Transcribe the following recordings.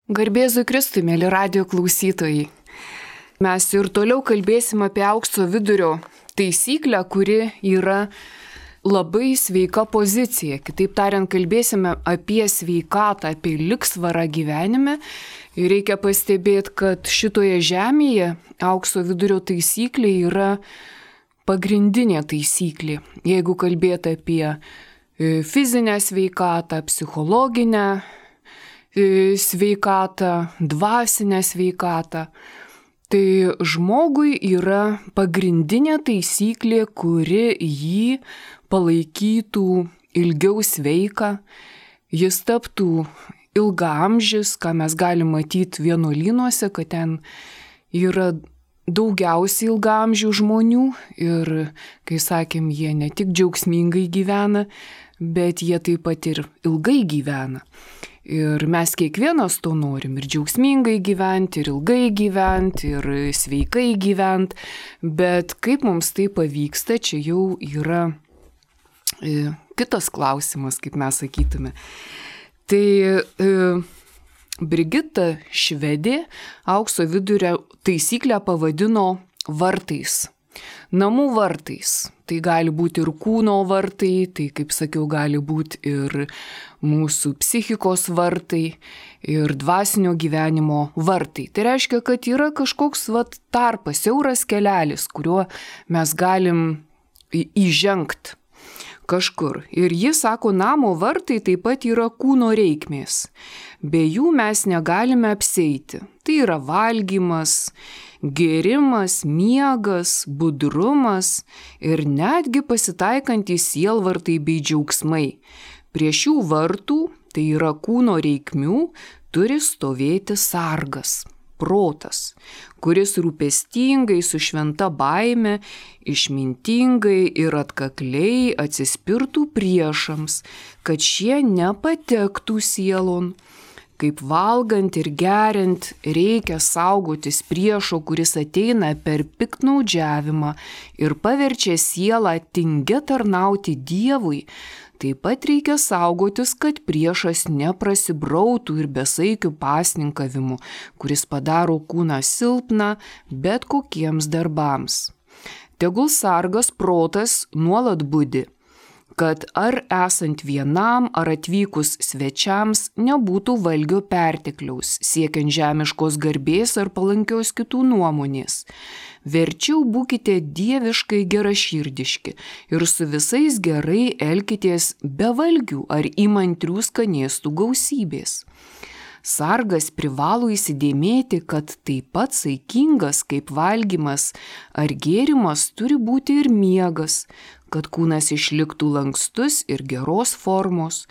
Garbėzui Kristui, mėly radijo klausytojai. Mes ir toliau kalbėsim apie aukso vidurio taisyklę, kuri yra labai sveika pozicija. Kitaip tariant, kalbėsime apie sveikatą, apie lygsvarą gyvenime. Ir reikia pastebėti, kad šitoje žemėje aukso vidurio taisyklė yra pagrindinė taisyklė. Jeigu kalbėti apie fizinę sveikatą, psichologinę sveikatą, dvasinę sveikatą, tai žmogui yra pagrindinė taisyklė, kuri jį palaikytų ilgiau sveiką, jis taptų ilgaamžis, ką mes galim matyti vienuolynuose, kad ten yra daugiausiai ilgaamžių žmonių ir, kai sakėm, jie ne tik džiaugsmingai gyvena, bet jie taip pat ir ilgai gyvena. Ir mes kiekvienas to norim, ir džiaugsmingai gyventi, ir ilgai gyventi, ir sveikai gyventi, bet kaip mums tai pavyksta, čia jau yra kitas klausimas, kaip mes sakytume. Tai Brigita Švedė aukso vidurio taisyklę pavadino vartais. Namų vartais. Tai gali būti ir kūno vartai, tai, kaip sakiau, gali būti ir mūsų psichikos vartai, ir dvasinio gyvenimo vartai. Tai reiškia, kad yra kažkoks tarpas, siauras kelelis, kuriuo mes galim įžengti kažkur. Ir jis sako, namo vartai taip pat yra kūno reikmės. Be jų mes negalime apsieiti. Tai yra valgymas, gėrimas, miegas, budrumas ir netgi pasitaikantys sielvartai bei džiaugsmai. Prie šių vartų, tai yra kūno reikmių, turi stovėti sargas, protas, kuris rūpestingai su šventa baime, išmintingai ir atkakliai atsispirtų priešams, kad šie nepatektų sielon. Kaip valgant ir geriant reikia saugotis priešo, kuris ateina per piktnaudžiavimą ir paverčia sielą tingia tarnauti Dievui, taip pat reikia saugotis, kad priešas neprasibrautų ir besaikių pasninkavimų, kuris padaro kūną silpną bet kokiems darbams. Tegul sargas protas nuolat budi, kad ar esant vienam, ar atvykus svečiams nebūtų valgio pertekliaus, siekiant žemiškos garbės ar palankios kitų nuomonės. Verčiau būkite dieviškai geraširdiški ir su visais gerai elkitės be valgių ar įmantrių skanėstų gausybės. Sargas privalo įsidėmėti, kad taip pat saikingas kaip valgymas ar gėrimas turi būti ir miegas, kad kūnas išliktų lankstus ir geros formos.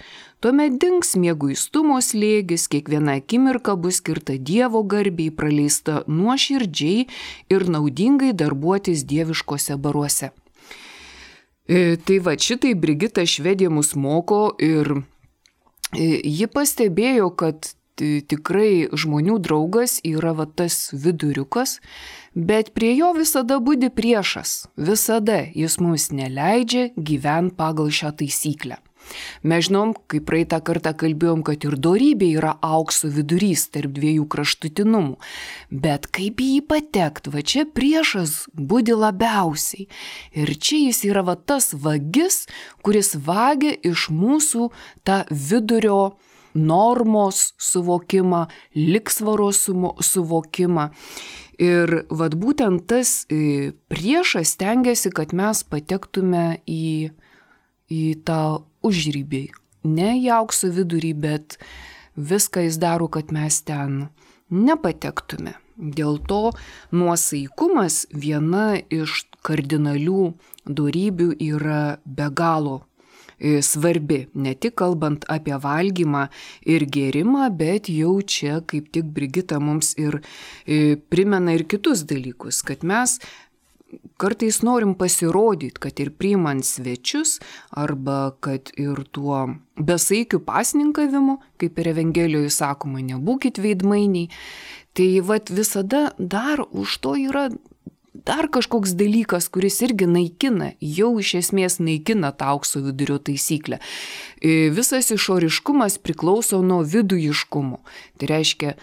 Tuomet dings mieguistumo slėgis, kiekviena akimirka bus skirta Dievo garbei, praleista nuoširdžiai ir naudingai darbuotis dieviškose baruose. Tai šitai Brigita Švedė mus moko ir ji pastebėjo, kad tikrai žmonių draugas yra tas viduriukas, bet prie jo visada budi priešas. Visada jis mums neleidžia gyventi pagal šią taisyklę. Mes žinom, kaip praeitą kartą kalbėjom, kad ir dorybė yra aukso vidurys tarp dviejų kraštutinumų. Bet kaip į jį patekti, čia priešas budi labiausiai. Ir čia jis yra tas vagis, kuris vagia iš mūsų tą vidurio normos suvokimą, lygsvaros suvokimą. Ir būtent tas priešas stengiasi, kad mes patektume į tą užrybį. Ne į aukso vidurį, bet viską jis daro, kad mes ten nepatektume. Dėl to nuosaikumas viena iš kardinalių dorybių yra be galo svarbi, ne tik kalbant apie valgymą ir gėrimą, bet jau čia kaip tik Brigita mums ir primena ir kitus dalykus, kad mes kartais norim pasirodyti, kad ir priimant svečius, arba kad ir tuo besaikiu pasninkavimu, kaip ir Evangelijoje sakoma, nebūkit veidmainiai, tai visada dar už to yra dar kažkoks dalykas, kuris irgi naikina, jau iš esmės naikina tą aukso vidurio taisyklę. Visas išoriškumas priklauso nuo vidujiškumo. Tai reiškia,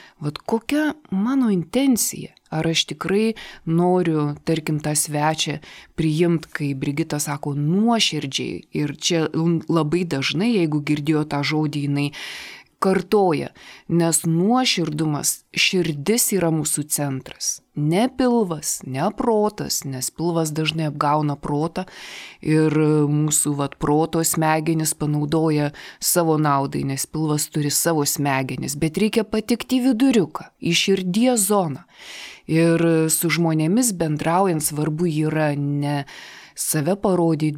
kokia mano intencija? Ar aš tikrai noriu, tarkim, tą svečią priimti, kai Brigita sako, nuoširdžiai. Ir čia labai dažnai, jeigu girdėjo tą žodį, jinai kartoja, nes nuoširdumas, širdis yra mūsų centras. Ne pilvas, ne protas, nes pilvas dažnai apgauna protą ir mūsų proto smegenis panaudoja savo naudai, nes pilvas turi savo smegenis, bet reikia patikti į viduriuką, į širdies zoną. Ir su žmonėmis bendraujant svarbu yra ne save parodyti,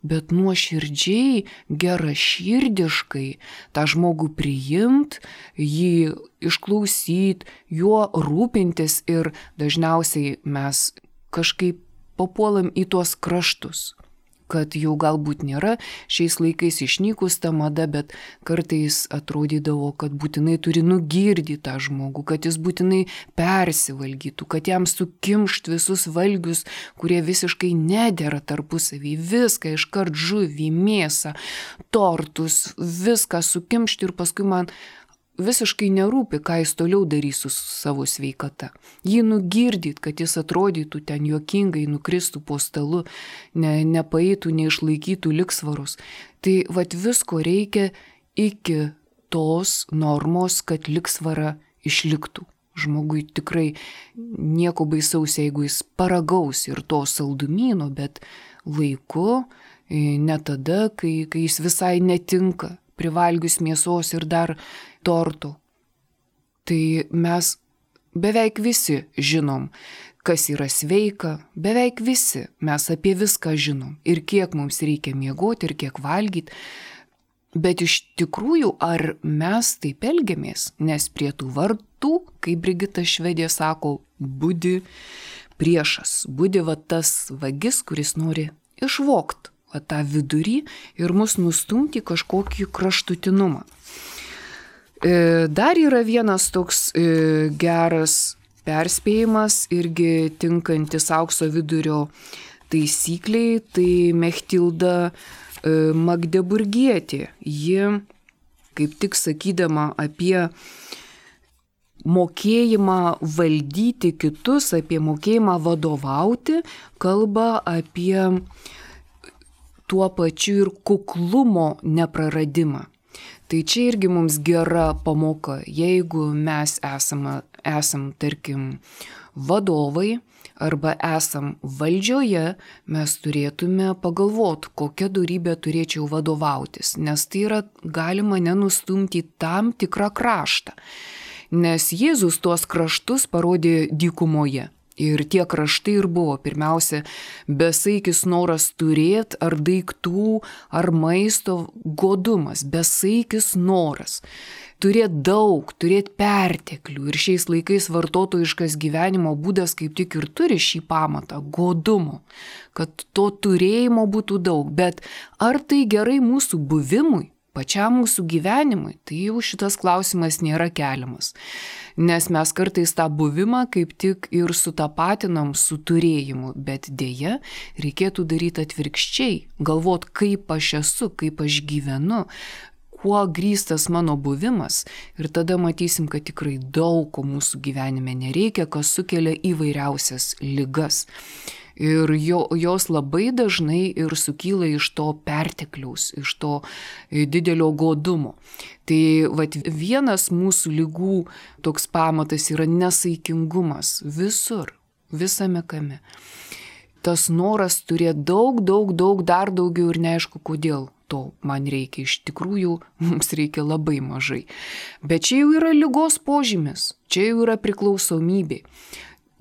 bet nuoširdžiai, geraširdiškai tą žmogų priimt, jį išklausyt, juo rūpintis ir dažniausiai mes kažkaip papuolam į tuos kraštus, kad jau galbūt nėra šiais laikais išnykus ta mada, bet kartais atrodydavo, kad būtinai turi nugirdyti tą žmogų, kad jis būtinai persivalgytų, kad jam sukimšt visus valgius, kurie visiškai nedera tarpusavį, viską iškart žuvį, mėsą, tortus, viską sukimšt ir paskui man visiškai nerūpi, ką jis toliau darys su savo sveikata. Jį nugirdyt, kad jis atrodytų ten juokingai, nukristų po stalu, nepaeitų, neišlaikytų liksvarus. Tai visko reikia iki tos normos, kad liksvara išliktų. Žmogui tikrai nieko baisaus, jeigu jis paragaus ir to saldumyno, bet laiku, ne tada, kai jis visai netinka, privalgius mėsos ir dar tortų. Tai mes beveik visi žinom, kas yra sveika, beveik visi mes apie viską žinom ir kiek mums reikia miegoti ir kiek valgyti. Bet iš tikrųjų, ar mes taip elgiamės, nes prie tų vartų, kaip Brigita Švedė sako, budi priešas, budi tas vagis, kuris nori išvogti tą vidurį ir mus nustumti kažkokį kraštutinumą. Dar yra vienas toks geras perspėjimas, irgi tinkantis aukso vidurio taisykliai, tai Mechtilda Magdeburgietė. Ji, kaip tik sakydama apie mokėjimą valdyti kitus, apie mokėjimą vadovauti, kalba apie tuo pačiu ir kuklumo nepraradimą. Tai čia irgi mums gera pamoka, jeigu mes esam tarkim, vadovai arba esam valdžioje, mes turėtume pagalvoti, kokią dorybę turėčiau vadovautis, nes tai yra galima nenustumti į tam tikrą kraštą. Nes Jėzus tuos kraštus parodė dykumoje. Ir tie kraštai ir buvo, pirmiausia, besaikis noras turėti ar daiktų, ar maisto godumas, besaikis noras. Turėti daug, turėti perteklių. Ir šiais laikais vartotojiškas gyvenimo būdas kaip tik ir turi šį pamatą – godumo, kad to turėjimo būtų daug. Bet ar tai gerai mūsų buvimui? Pačiam mūsų gyvenimui, tai jau šitas klausimas nėra keliamas. Nes mes kartais tą buvimą kaip tik ir sutapatinam su turėjimu, bet dėja reikėtų daryti atvirkščiai, galvot, kaip aš esu, kaip aš gyvenu, kuo grįstas mano buvimas ir tada matysim, kad tikrai daug ko mūsų gyvenime nereikia, kas sukelia įvairiausias ligas. Ir jos labai dažnai ir sukyla iš to pertekliaus, iš to didelio godumo. Tai vienas mūsų ligų toks pamatas yra nesaikingumas visur, visame kame. Tas noras turėti daug, dar daugiau ir neaišku kodėl. To man reikia, iš tikrųjų mums reikia labai mažai. Bet čia jau yra ligos požymis, čia jau yra priklausomybė.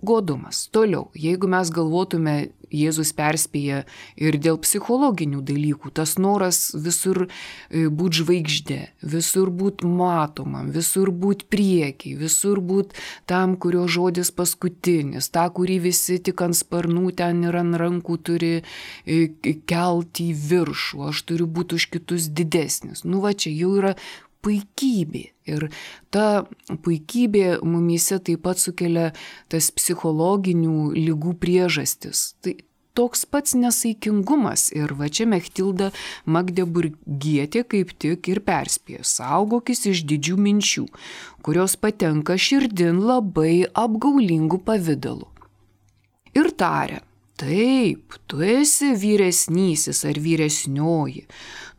Godumas. Toliau, jeigu mes galvotume, Jėzus perspėja ir dėl psichologinių dalykų, tas noras visur būti žvaigždė, visur būti matomam, visur būti priekiai, visur būti tam, kurio žodis paskutinis, tą, kurį visi tik ant sparnų ten ir ant rankų turi kelti į viršų, aš turiu būti už kitus didesnis. Čia jau yra puikybė. Ir ta puikybė mumyse taip pat sukelia tas psichologinių ligų priežastis. Tai toks pats nesaikingumas. Ir va čia Mechtilda Magdeburgietė kaip tik ir perspėjo: saugokis iš didžių minčių, kurios patenka širdin labai apgaulingų pavidalų. Ir tarė: taip, tu esi vyresnysis ar vyresnioji,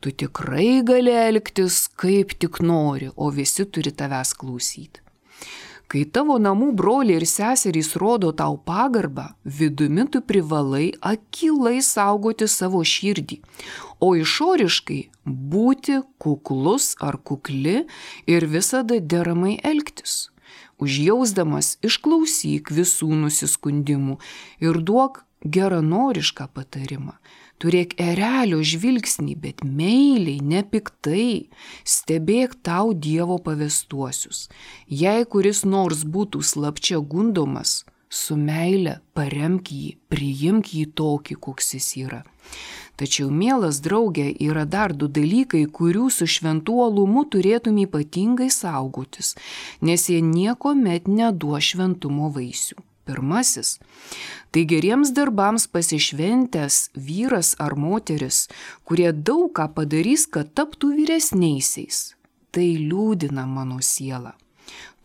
tu tikrai gali elgtis kaip tik nori, o visi turi tavęs klausyti. Kai tavo namų broliai ir seserys rodo tau pagarbą, vidumi tu privalai akylai saugoti savo širdį, o išoriškai būti kuklus ar kukli ir visada deramai elgtis. Užjausdamas išklausyk visų nusiskundimų ir duok geranorišką patarimą. Turėk erelio žvilgsnį, bet meiliai, nepiktai, stebėk tau Dievo pavestuosius. Jei kuris nors būtų slapčia gundomas, su meile paremk jį, priimk jį tokį, koks jis yra. Tačiau, mielas draugė, yra dar 2 dalykai, kurių su šventu uolumu turėtum ypatingai saugotis, nes jie niekuomet neduos šventumo vaisių. Pirmasis – tai geriems darbams pasišventęs vyras ar moteris, kurie daug ką padarys, kad taptų vyresniaisiais. Tai liūdina mano sielą.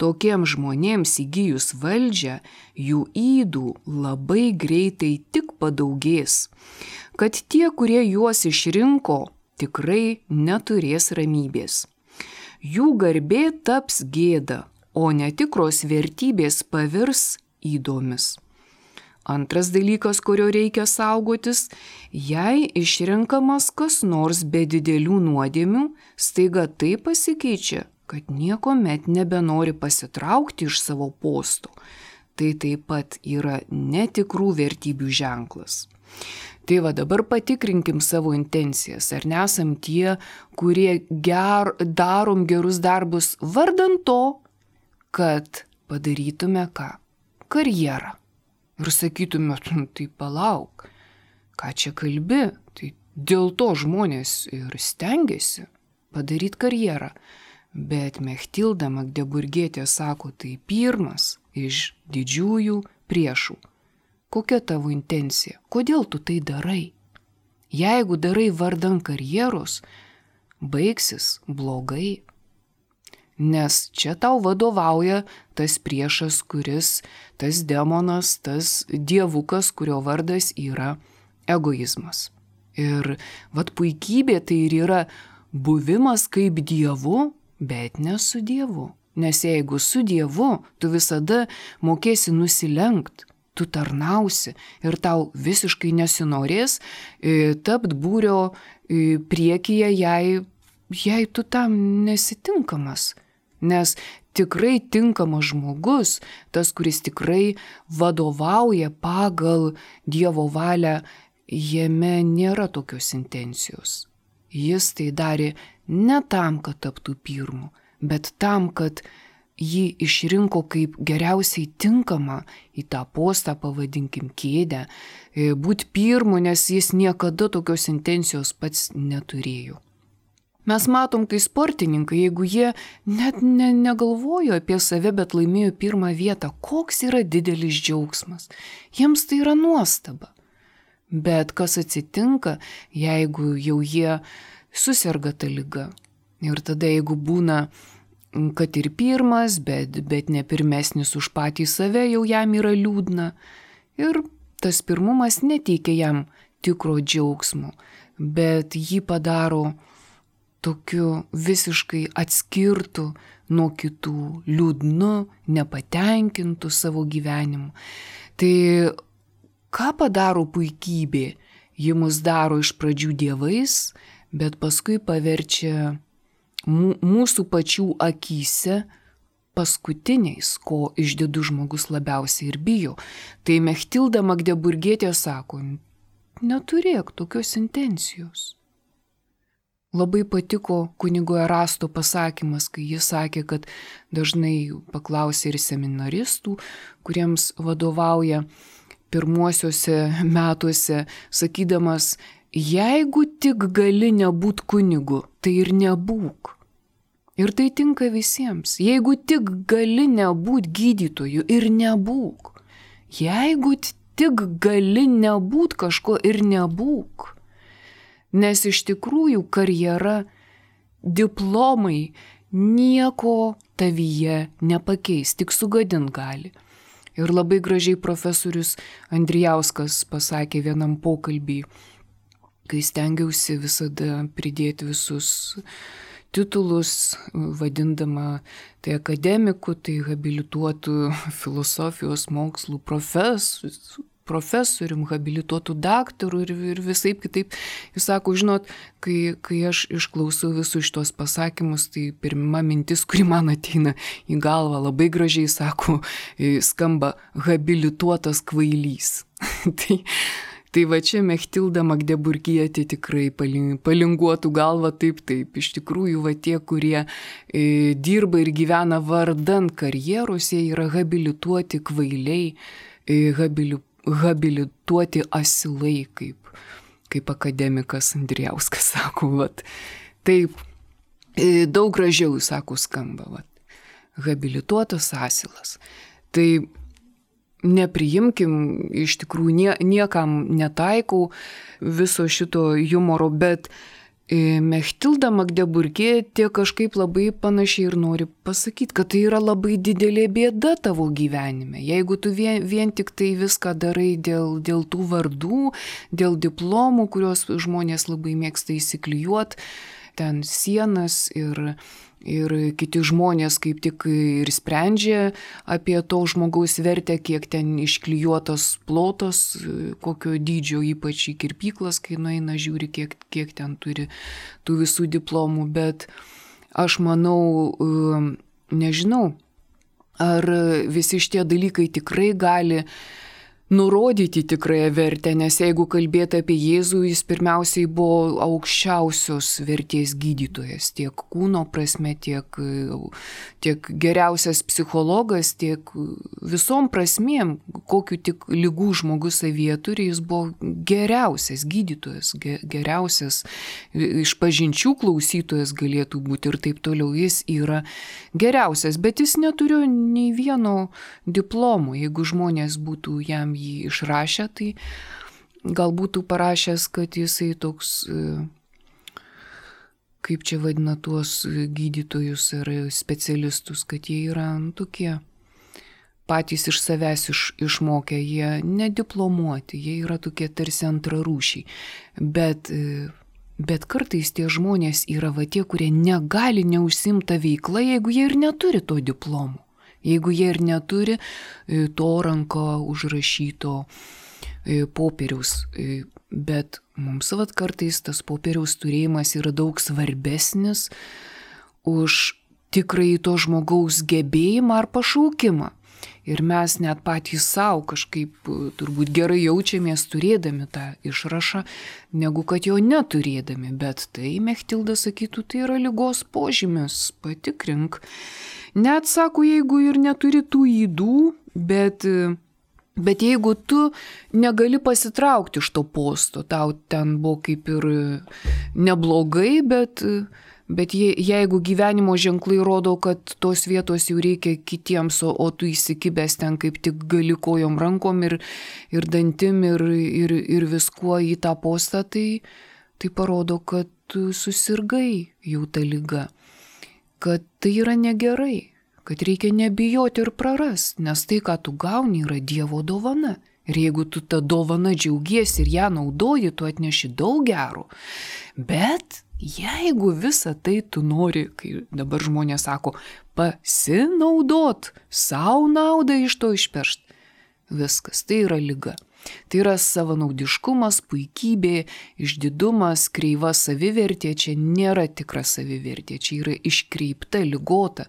Tokiems žmonėms įgijus valdžią, jų ydų labai greitai tik padaugės, kad tie, kurie juos išrinko, tikrai neturės ramybės. Jų garbė taps gėda, o netikros vertybės pavirs įdomis. Antras dalykas, kurio reikia saugotis, jei išrenkamas kas nors be didelių nuodėmių, staiga tai pasikeičia, kad niekuomet nebenori pasitraukti iš savo posto. Tai taip pat yra netikrų vertybių ženklas. Tai va, dabar patikrinkim savo intencijas, ar nesam tie, kurie darom gerus darbus vardan to, kad padarytume ką? Karjerą. Ir sakytume, tai palauk, ką čia kalbi, tai dėl to žmonės ir stengiasi padaryti karjerą. Bet Mechtilda Magdeburgietė sako, tai pirmas iš didžiųjų priešų. Kokia tavo intencija? Kodėl tu tai darai? Jeigu darai vardan karjeros, baigsis blogai. Nes čia tau vadovauja tas priešas, tas demonas, tas dievukas, kurio vardas yra egoizmas. Ir vat puikybė tai ir yra buvimas kaip dievu, bet ne su dievu. Nes jeigu su dievu, tu visada mokėsi nusilenkt, tu tarnausi ir tau visiškai nesinorės tapt būrio priekyje, jei tu tam nesitinkamas. Nes tikrai tinkamas žmogus, tas, kuris tikrai vadovauja pagal Dievo valią, jame nėra tokios intencijos. Jis tai darė ne tam, kad taptų pirmu, bet tam, kad jį išrinko kaip geriausiai tinkamą į tą postą, pavadinkim kėdę, būti pirmu, nes jis niekada tokios intencijos pats neturėjo. Mes matom, kai sportininkai, jeigu jie net negalvojo apie save, bet laimėjo 1 vietą, koks yra didelis džiaugsmas. Jiems tai yra nuostaba. Bet kas atsitinka, jeigu jau jie suserga tą ligą? Ir tada, jeigu būna, kad ir pirmas, bet ne pirmesnis už patį save, jau jam yra liūdna. Ir tas pirmumas neteikia jam tikro džiaugsmo, bet jį padaro tokiu visiškai atskirtų nuo kitų, liūdnu, nepatenkintų savo gyvenimu. Tai ką padaro puikybė? Ji mus daro iš pradžių dievais, bet paskui paverčia mūsų pačių akyse paskutiniais, ko išdidus žmogus labiausiai ir bijo. Tai Mechtilda Magdeburgietė sako, neturėk tokios intencijos. Labai patiko kunigo Erasto pasakymas, kai jis sakė, kad dažnai paklausė ir seminaristų, kuriems vadovauja pirmuosiuose metuose, sakydamas, jeigu tik gali nebūt kunigu, tai ir nebūk. Ir tai tinka visiems. Jeigu tik gali nebūt gydytoju ir nebūk. Jeigu tik gali nebūt kažko ir nebūk. Nes iš tikrųjų karjera, diplomai nieko tavyje nepakeis, tik sugadint gali. Ir labai gražiai profesorius Andrijauskas pasakė vienam pokalbį, kai stengiausi visada pridėti visus titulus, vadindama tai akademiku, tai habilituotų filosofijos mokslų profesorium, habilituotų daktarų ir visaip kitaip. Jis sako, žinot, kai aš išklausau visus šitos pasakymus, tai pirma mintis, kuri man ateina į galvą, labai gražiai sako, skamba habilituotas kvailys. Tai va čia Mechtilda Magdeburgietė tikrai palinguotų galvą taip. Iš tikrųjų, va tie, kurie dirba ir gyvena vardan karjeros, jie yra habilituoti kvailiai, habilituoti asilai, kaip akademikas Andrijauskas sako. Vat. Taip, daug gražiau, sako, skamba. Vat. Habilituotas asilas. Tai nepriimkim, iš tikrųjų niekam netaikau viso šito humoro, bet Mechtilda Magdeburgietė kažkaip labai panašiai ir nori pasakyti, kad tai yra labai didelė bėda tavo gyvenime. Jeigu tu vien tik tai viską darai dėl tų vardų, dėl diplomų, kuriuos žmonės labai mėgsta įsiklijuoti, ten sienas ir kiti žmonės kaip tik ir sprendžia apie to žmogaus vertę, kiek ten išklijuotos plotos, kokio dydžio, ypač į kirpyklas, kai nueina žiūri, kiek ten turi tų visų diplomų. Bet aš manau, nežinau, ar visi šitie dalykai tikrai gali nurodyti tikrąją vertę, nes jeigu kalbėti apie Jėzų, jis pirmiausiai buvo aukščiausios vertės gydytojas, tiek kūno prasme, tiek geriausias psichologas, tiek visom prasmėm, kokiu tik ligų žmogus savyje turi, jis buvo geriausias gydytojas, geriausias išpažinčių klausytojas galėtų būti ir taip toliau. Jis yra geriausias, bet jis neturiu nei vieno diplomo. Jeigu žmonės būtų jam jį išrašę, tai gal būtų parašęs, kad jisai toks, kaip čia vadina tuos gydytojus ar specialistus, kad jie yra tokie patys iš savęs išmokę, jie nediplomuoti, jie yra tokie tarsi antrarūšiai. Bet kartais tie žmonės yra va tie, kurie negali neužsimta veikla, jeigu jie ir neturi to diplomo. Jeigu jie ir neturi to ranko užrašyto popieriaus, bet mums vat kartais tas popieriaus turėjimas yra daug svarbesnis už tikrai to žmogaus gebėjimą ar pašaukimą. Ir mes net patys savo kažkaip turbūt gerai jaučiamės turėdami tą išrašą, negu kad jo neturėdami. Bet tai, Mechtilda sakytų, tai yra ligos požymis, patikrink. Net sako, jeigu ir neturi tų ydų, bet jeigu tu negali pasitraukti iš to posto, tau ten buvo kaip ir neblogai, bet jeigu gyvenimo ženklai rodo, kad tos vietos jau reikia kitiems, o tu įsikibęs ten kaip tik gali kojom, rankom ir dantim ir viskuo į tą postą, tai parodo, kad tu susirgai jau tą ligą. Kad tai yra negerai, kad reikia nebijoti ir prarasti, nes tai, ką tu gauni, yra Dievo dovana. Ir jeigu tu tą dovaną džiaugiesi ir ją naudoji, tu atneši daug gero. Bet jeigu visą tai tu nori, kai dabar žmonės sako, pasinaudot, savo naudą iš to išpešt, viskas, tai yra liga. Tai yra savanaudiškumas, puikybė, išdidumas, kreiva savivertė, čia nėra tikra savivertė, čia yra iškreipta, ligota.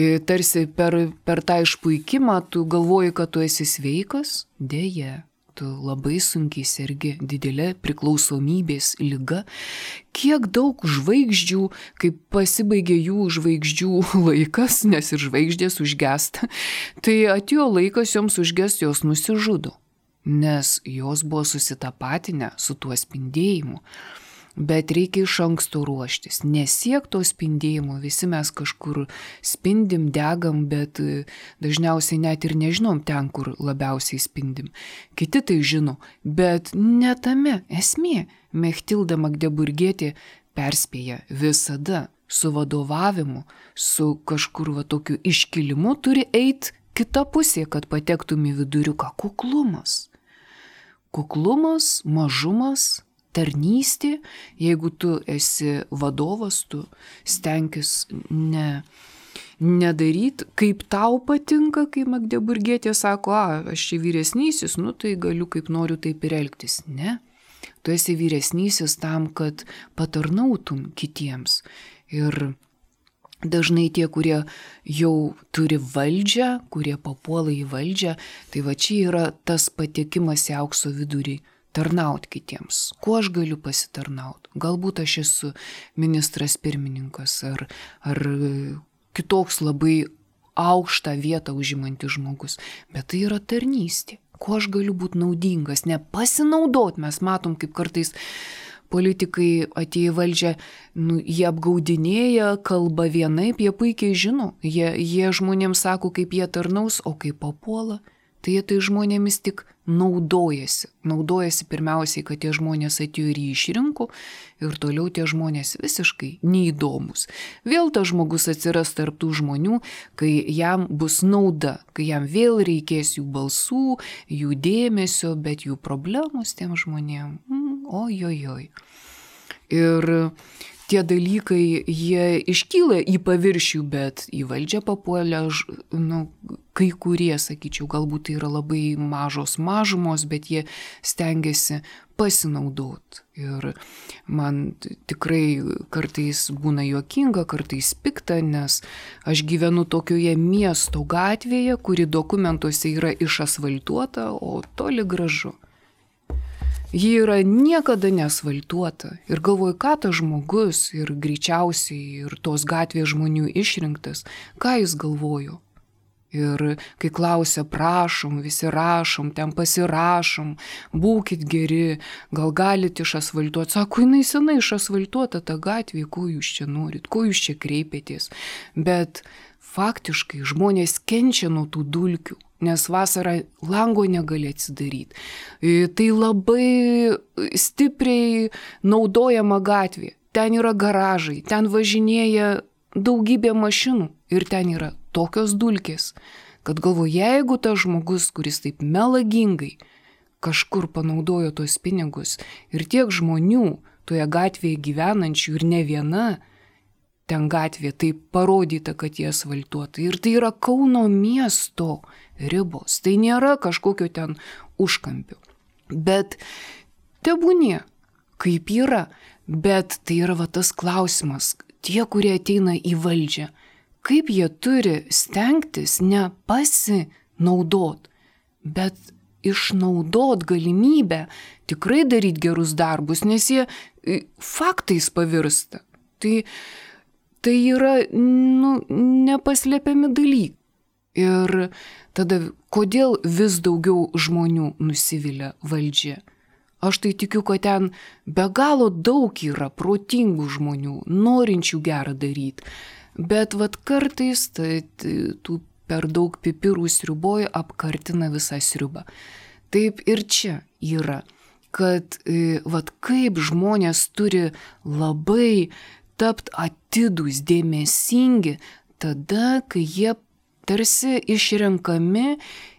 Tarsi per tą išpuikimą tu galvoji, kad tu esi sveikas, deja, tu labai sunkiai sergi, didelė priklausomybės liga. Kiek daug žvaigždžių, kai pasibaigia jų žvaigždžių laikas, nes ir žvaigždės užgesta, tai atėjo laikas joms užgest, jos nusižudo. Nes jos buvo susitapatinę su tuo spindėjimu. Bet reikia iš anksto ruoštis, nesiek to spindėjimo, visi mes kažkur spindim, degam, bet dažniausiai net ir nežinom ten, kur labiausiai spindim. Kiti tai žino, bet ne tame esmė. Mechtilda Magdeburgietė perspėja visada su vadovavimu, su kažkur tokiu iškilimu turi eiti kita pusė, kad patektum į viduriuką. Kuklumas, mažumas, tarnystė, jeigu tu esi vadovas, tu stenkis nedaryti, kaip tau patinka, kai Magdeburgietė sako, aš čia vyresnysis, tai galiu kaip noriu taip ir elgtis. Ne, tu esi vyresnysis tam, kad patarnautum kitiems. Ir dažnai tie, kurie jau turi valdžią, kurie papuola į valdžią, tai čia yra tas patekimas į aukso vidurį. Tarnaut kitiems. Kuo aš galiu pasitarnauti? Galbūt aš esu ministras pirmininkas ar kitoks labai aukštą vietą užimantis žmogus, bet tai yra tarnystė. Kuo aš galiu būti naudingas? Ne pasinaudot, mes matom, kaip kartais politikai atėję valdžią, jie apgaudinėja, kalba vienaip, jie puikiai žino, jie žmonėms sako, kaip jie tarnaus, o kaip papuola. Tai jie tai žmonėmis tik naudojasi. Naudojasi pirmiausiai, kad tie žmonės atėjo ir jį išrinko ir toliau tie žmonės visiškai neįdomus. Vėl tas žmogus atsiras tarp tų žmonių, kai jam bus nauda, kai jam vėl reikės jų balsų, jų dėmesio, bet jų problemos tiem žmonėm. Ojojoj. Ir tie dalykai, jie iškyla į paviršių, bet į valdžią papuolę, kai kurie, sakyčiau, galbūt tai yra labai mažos mažumos, bet jie stengiasi pasinaudoti. Ir man tikrai kartais būna juokinga, kartais pikta, nes aš gyvenu tokioje miesto gatvėje, kuri dokumentuose yra išasfaltuota, o toli gražu. Ji yra niekada neasfaltuota ir galvoju, ką tas žmogus ir greičiausiai ir tos gatvės žmonių išrinktas, ką jis galvojo. Ir kai klausia, prašom, visi rašom, ten pasirašom, būkit geri, gal galit išasfaltuoti. Sako, jinai senai išasfaltuota ta gatvė, ko jūs čia norit, ko jūs čia kreipėtės. Bet faktiškai žmonės kenčia nuo tų dulkių. Nes vasarą lango negali atsidaryti. Tai labai stipriai naudojama gatvė. Ten yra garažai, ten važinėja daugybė mašinų ir ten yra tokios dulkės, kad galvoju, jeigu tas žmogus, kuris taip melagingai kažkur panaudojo tos pinigus ir tiek žmonių toje gatvėje gyvenančių ir ne viena, ten gatvė taip parodyta, kad jie asfaltuota. Ir tai yra Kauno miesto ribos. Tai nėra kažkokio ten užkampių. Bet tebūnie, kaip yra. Bet tai yra tas klausimas. Tie, kurie ateina į valdžią, kaip jie turi stengtis ne pasinaudot, bet išnaudot galimybę tikrai daryti gerus darbus, nes jie faktais pavirsta. Tai yra nepaslėpiami dalykai. Ir tada kodėl vis daugiau žmonių nusivilia valdžia? Aš tai tikiu, kad ten be galo daug yra protingų žmonių, norinčių gerą daryti. Bet kartais tų per daug pipirų sriuboje apkartina visą sriubą. Taip ir čia yra, kad kaip žmonės turi labai tapti atidūs, dėmesingi, tada, kai jie tarsi išrenkami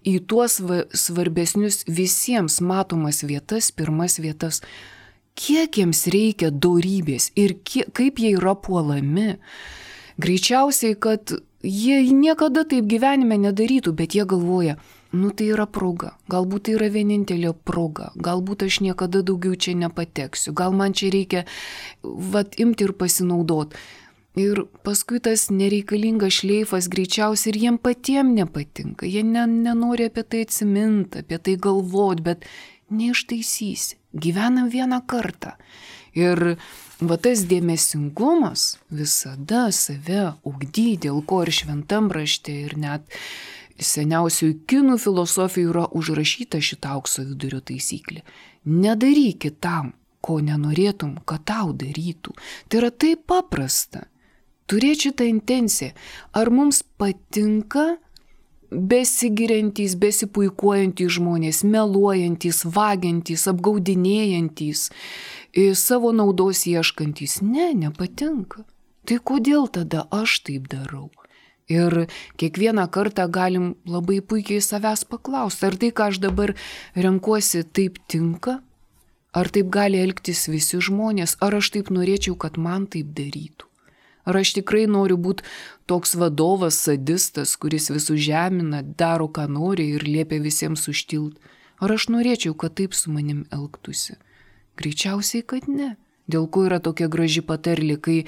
į tuos svarbesnius visiems matomas vietas, pirmas vietas. Kiek jiems reikia dorybės ir kaip jie yra puolami. Greičiausiai, kad jie niekada taip gyvenime nedarytų, bet jie galvoja, tai yra proga, galbūt tai yra vienintelė proga, galbūt aš niekada daugiau čia nepateksiu, gal man čia reikia imti ir pasinaudoti. Ir paskui tas nereikalingas šleifas greičiausiai ir jiem patiem nepatinka, jie nenori apie tai atsiminti, apie tai galvoti, bet neištaisysi, gyvenam vieną kartą. Ir tas dėmesingumas visada save ugdy, dėl ko ir šventam rašte ir net seniausiųjų kinų filosofijų yra užrašyta šitą aukso vidurio taisyklė. Nedaryk kitam, ko nenorėtum, kad tau darytų. Tai yra taip paprasta. Turėti šitą intenciją. Ar mums patinka besigiriantys, besipuikuojantys žmonės, meluojantys, vagiantys, apgaudinėjantys, savo naudos ieškantys? Ne, nepatinka. Tai kodėl tada aš taip darau? Ir kiekvieną kartą galim labai puikiai savęs paklausti, ar tai, ką aš dabar renkuosi, taip tinka? Ar taip gali elgtis visi žmonės? Ar aš taip norėčiau, kad man taip darytų? Ar aš tikrai noriu būti toks vadovas, sadistas, kuris visus žemina, daro, ką nori ir liepia visiems užtilt? Ar aš norėčiau, kad taip su manim elgtųsi? Greičiausiai, kad ne. Dėl ko yra tokia graži patarlė, kai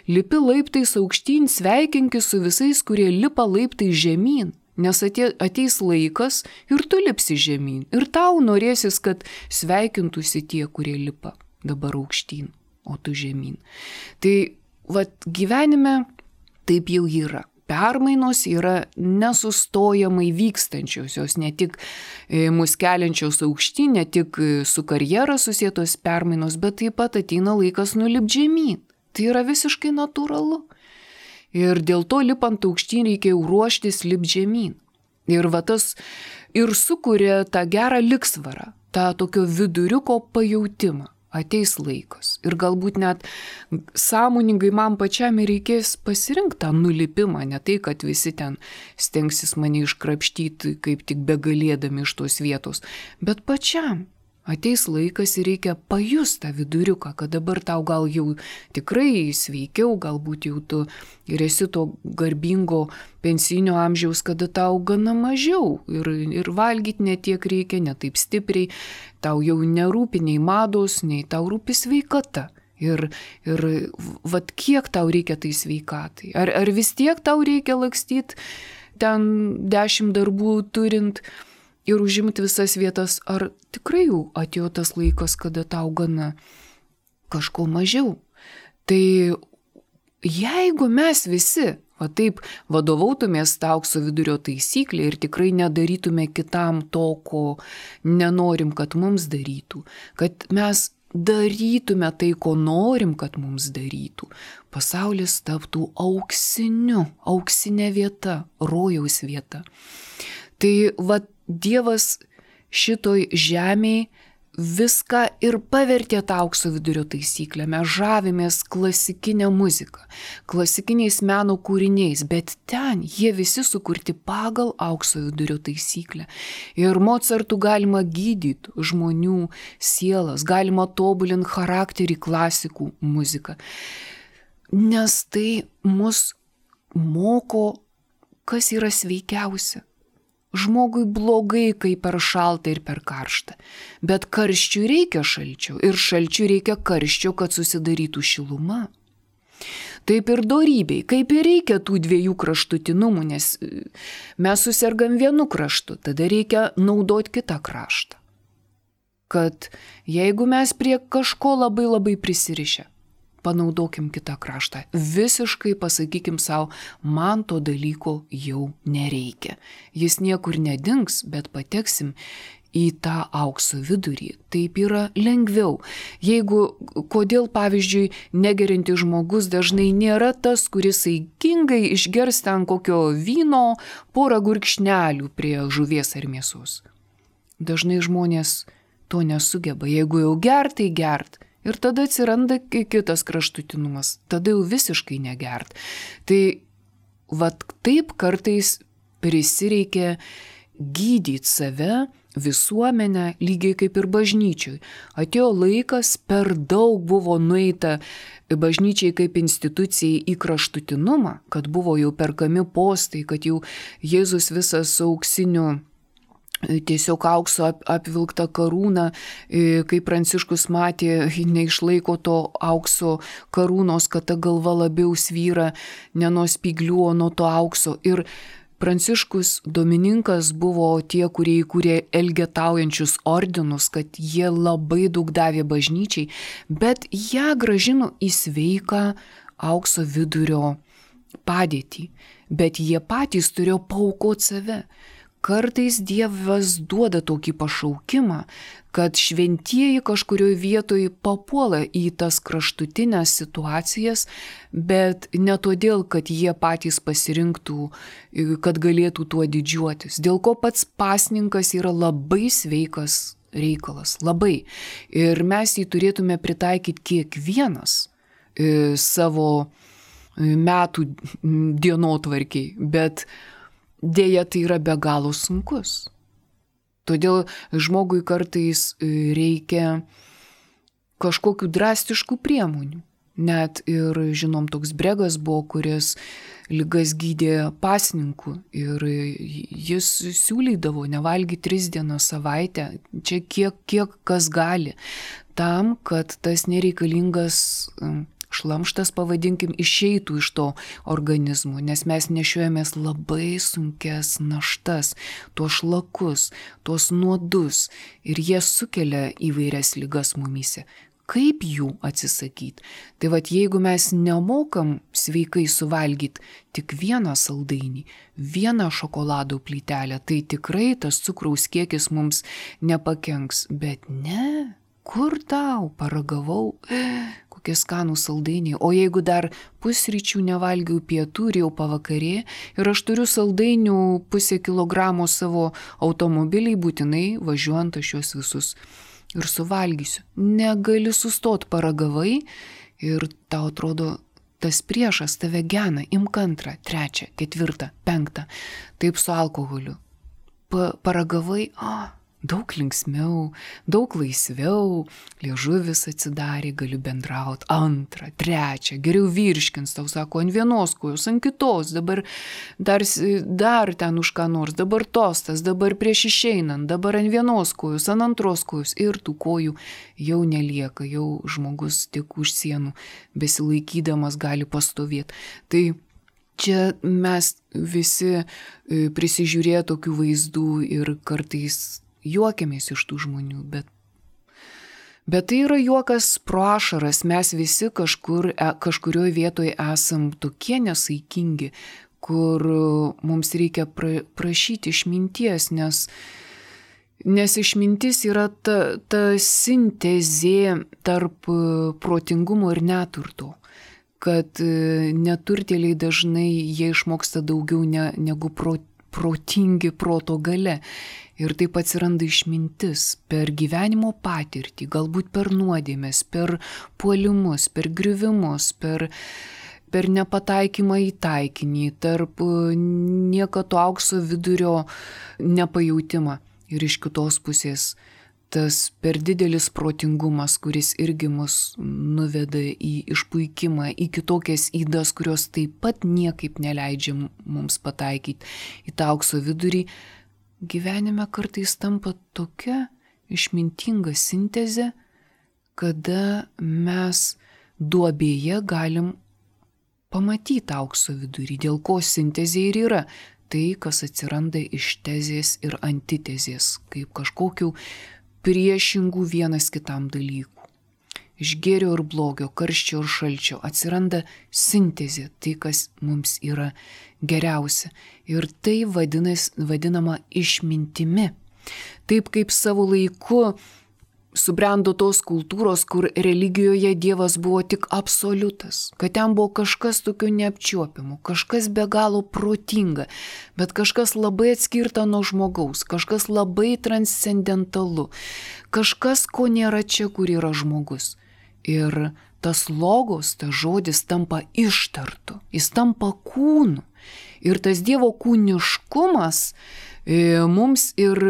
lipi laiptais aukštyn, sveikinkis su visais, kurie lipa laiptais žemyn, nes ateis laikas ir tu lipsi žemyn. Ir tau norėsis, kad sveikintųsi tie, kurie lipa dabar aukštyn, o tu žemyn. Tai gyvenime taip jau yra. Permainos yra nesustojamai vykstančios, jos ne tik mus keliančios aukštyn, ne tik su karjera susietos permainos, bet taip pat ateina laikas nulipti žemyn. Tai yra visiškai natūralu. Ir dėl to lipant aukštyn reikia ruoštis lipti žemyn. Ir tas ir sukuria tą gerą liksvarą, tą tokio viduriuko pajautimą. Ateis laikas. Ir galbūt net sąmoningai man pačiam reikės pasirinkti tą nulipimą, ne tai, kad visi ten stengsis mane iškrapštyti, kaip tik begalėdami iš tos vietos, bet pačiam ateis laikas ir reikia pajusti tą viduriuką, kad dabar tau gal jau tikrai sveikiau, galbūt jau tu ir esi to garbingo pensinio amžiaus, kada tau gana mažiau ir valgyti ne tiek reikia, ne taip stipriai, tau jau nerūpi nei mados, nei tau rūpi sveikata. Ir kiek tau reikia tai sveikatai? Ar vis tiek tau reikia lakstyti ten 10 darbų turint ir užimti visas vietas, ar tikrai jau atėjo tas laikas, kada tau gana kažko mažiau? Tai jeigu mes visi taip vadovautumės tą aukso vidurio taisyklę ir tikrai nedarytume kitam to, ko nenorim, kad mums darytų, kad mes darytume tai, ko norim, kad mums darytų, pasaulis taptų auksinė vieta, rojaus vieta. Tai Dievas šitoj žemėj viską ir pavertė tą aukso vidurio taisyklę. Mes žavimės klasikinę muziką, klasikiniais meno kūriniais, bet ten jie visi sukurti pagal aukso vidurio taisyklę. Ir Mozartu galima gydyti žmonių sielas, galima tobulinti charakterį klasikų muziką, nes tai mus moko, kas yra sveikiausia. Žmogui blogai, kai per šalta ir per karšta, bet karščiui reikia šalčio ir šalčiui reikia karščio, kad susidarytų šiluma. Taip ir dorybei, kaip ir reikia tų dviejų kraštutinumų, nes mes susergam vienu kraštu, tada reikia naudoti kitą kraštą. Kad jeigu mes prie kažko labai prisirišę, panaudokim kitą kraštą. Visiškai pasakykim savo, man to dalyko jau nereikia. Jis niekur nedings, bet pateksim į tą aukso vidurį. Taip yra lengviau. Kodėl, pavyzdžiui, negerintis žmogus dažnai nėra tas, kuris saikingai išgers ten kokio vyno, porą gurkšnelių prie žuvies ar mėsos. Dažnai žmonės to nesugeba. Jeigu jau gert, tai gert. Ir tada atsiranda kitas kraštutinumas, tada jau visiškai negert. Tai taip kartais prisireikia gydyti save, visuomenę, lygiai kaip ir bažnyčioj. Atėjo laikas, per daug buvo nueita bažnyčiai kaip institucijai į kraštutinumą, kad buvo jau perkami postai, kad jau Jėzus visas auksiniu tiesiog aukso apvilkta karūna, kai Pranciškus matė, neišlaiko to aukso karūnos, kad ta galva labiau svyra ne nuo spyglių, o nuo to aukso. Ir Pranciškus Domininkas buvo tie, kurie įkūrė elgetaujančius ordinus, kad jie labai daug davė bažnyčiai, bet ją grąžino į sveiką aukso vidurio padėtį. Bet jie patys turėjo paaukoti save. kartais Dievas duoda tokį pašaukimą, kad šventieji kažkurioje vietoje papuola į tas kraštutinės situacijas, bet ne todėl, kad jie patys pasirinktų, kad galėtų tuo didžiuotis. Dėl ko pats pasninkas yra labai sveikas reikalas, labai. Ir mes jį turėtume pritaikyti kiekvienas savo metų dienotvarkiai, bet dėja tai yra be galo sunkus. Todėl žmogui kartais reikia kažkokių drastiškų priemonių. Net ir, žinom, toks Bregas buvo, kuris ligas gydė pasninku ir jis siūlydavo nevalgyti 3 dienas savaitę, čia kiek kas gali, tam, kad tas nereikalingas šlamštas, pavadinkim, išeitų iš to organizmo, nes mes nešiojamės labai sunkes naštas, tuos šlakus, tuos nuodus ir jie sukelia įvairias ligas mumyse. Kaip jų atsisakyti? Tai vat jeigu mes nemokam sveikai suvalgyti tik vieną saldainį, vieną šokolado plytelę, tai tikrai tas cukraus kiekis mums nepakenks, bet ne. Kur tau, paragavau, kokie skanų saldainiai, o jeigu dar pusryčių nevalgiau, pietų ir jau pavakarė ir aš turiu saldainių 0,5 kilogramo savo automobiliai, būtinai važiuojant aš juos visus ir suvalgysiu. Negali sustot, paragavai ir tau atrodo tas priešas tave gena, imk 2, 3, 4, 5, taip su alkoholiu. Paragavai, daug linksmiau, daug laisviau, liežuvis atsidarė, galiu bendrauti, 2, 3, geriau virškins, tau sako, ant vienos kojos, ant kitos, dabar dar ten už ką nors, dabar tostas, dabar prieš išeinant, dabar ant vienos kojos, ant 2 kojos ir tų kojų jau nelieka, jau žmogus tik už sienų besilaikydamas gali pastovėti. Tai čia mes visi prisižiūrėję tokių vaizdų ir kartais juokiamės iš tų žmonių, bet tai yra juokas pro ašaras, mes visi kažkurioje vietoje esam tokie nesaikingi, kur mums reikia prašyti išminties, nes išmintis yra ta sintezė tarp protingumo ir neturto, kad neturtėliai dažnai jie išmoksta daugiau negu protingi proto gale. Ir taip atsiranda išmintis per gyvenimo patirtį, galbūt per nuodėmes, per puolimus, per griuvimus, per nepataikymą į taikinį, tarp niekato aukso vidurio nepajautimą. Ir iš kitos pusės tas per didelis protingumas, kuris irgi mus nuveda į išpuikimą, į kitokias ydas, kurios taip pat niekaip neleidžia mums pataikyti į tą aukso vidurį. Gyvenime kartais tampa tokia išmintinga sintezė, kada mes duobėje galim pamatyti aukso vidurį, dėl ko sintezė ir yra tai, kas atsiranda iš tezės ir antitezės, kaip kažkokių priešingų vienas kitam dalykų. Iš gėrio ir blogio, karščio ir šalčio atsiranda sintezė, tai, kas mums yra geriausia. Ir tai vadinama išmintimi. Taip kaip savo laiku subrendo tos kultūros, kur religijoje Dievas buvo tik absoliutas, kad ten buvo kažkas tokio neapčiuopiamo, kažkas be galo protinga, bet kažkas labai atskirta nuo žmogaus, kažkas labai transcendentalu, kažkas, ko nėra čia, kur yra žmogus. Ir tas logos, tas žodis tampa ištartu, jis tampa kūnu. Ir tas Dievo kūniškumas mums ir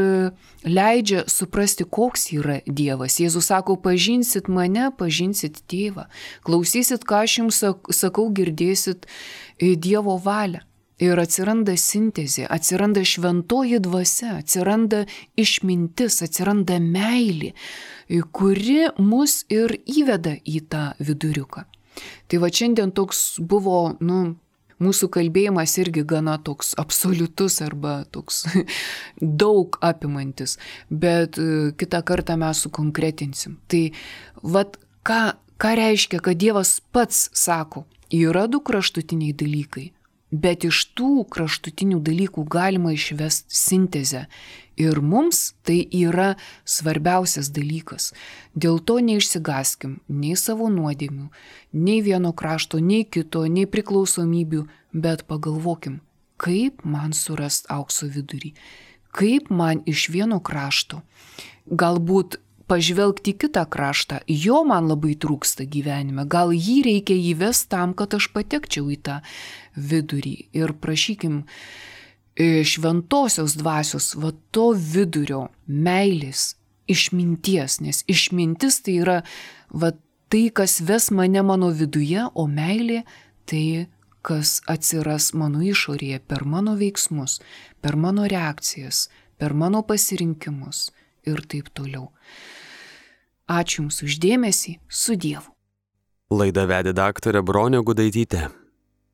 leidžia suprasti, koks yra Dievas. Jėzus sako, pažinsit mane, pažinsit tėvą, klausysit, ką aš jums sakau, girdėsit Dievo valią. Ir atsiranda sintezė, atsiranda šventoji dvasia, atsiranda išmintis, atsiranda meilė, kuri mus ir įveda į tą viduriuką. Tai va šiandien toks buvo, mūsų kalbėjimas irgi gana toks absoliutus arba toks daug apimantis, bet kitą kartą mes sukonkretinsim. Tai vat ką reiškia, kad Dievas pats sako, yra 2 kraštutiniai dalykai. Bet iš tų kraštutinių dalykų galima išvesti sintezę. Ir mums tai yra svarbiausias dalykas. Dėl to neišsigaskim nei savo nuodėmių, nei vieno krašto, nei kito, nei priklausomybių, bet pagalvokim, kaip man surast aukso vidurį, kaip man iš vieno krašto, galbūt pažvelgti į kitą kraštą, jo man labai trūksta gyvenime, gal jį reikia įvesti tam, kad aš patekčiau į tą vidurį. Ir prašykim šventosios dvasios, va to vidurio, meilės, išminties, nes išmintis tai yra va tai, kas ves mane mano viduje, o meilė tai, kas atsiras mano išorėje per mano veiksmus, per mano reakcijas, per mano pasirinkimus ir taip toliau. Ačiū Jums už dėmesį, su Dievu. Laidą vedė daktarė Bronė Gudaitytė.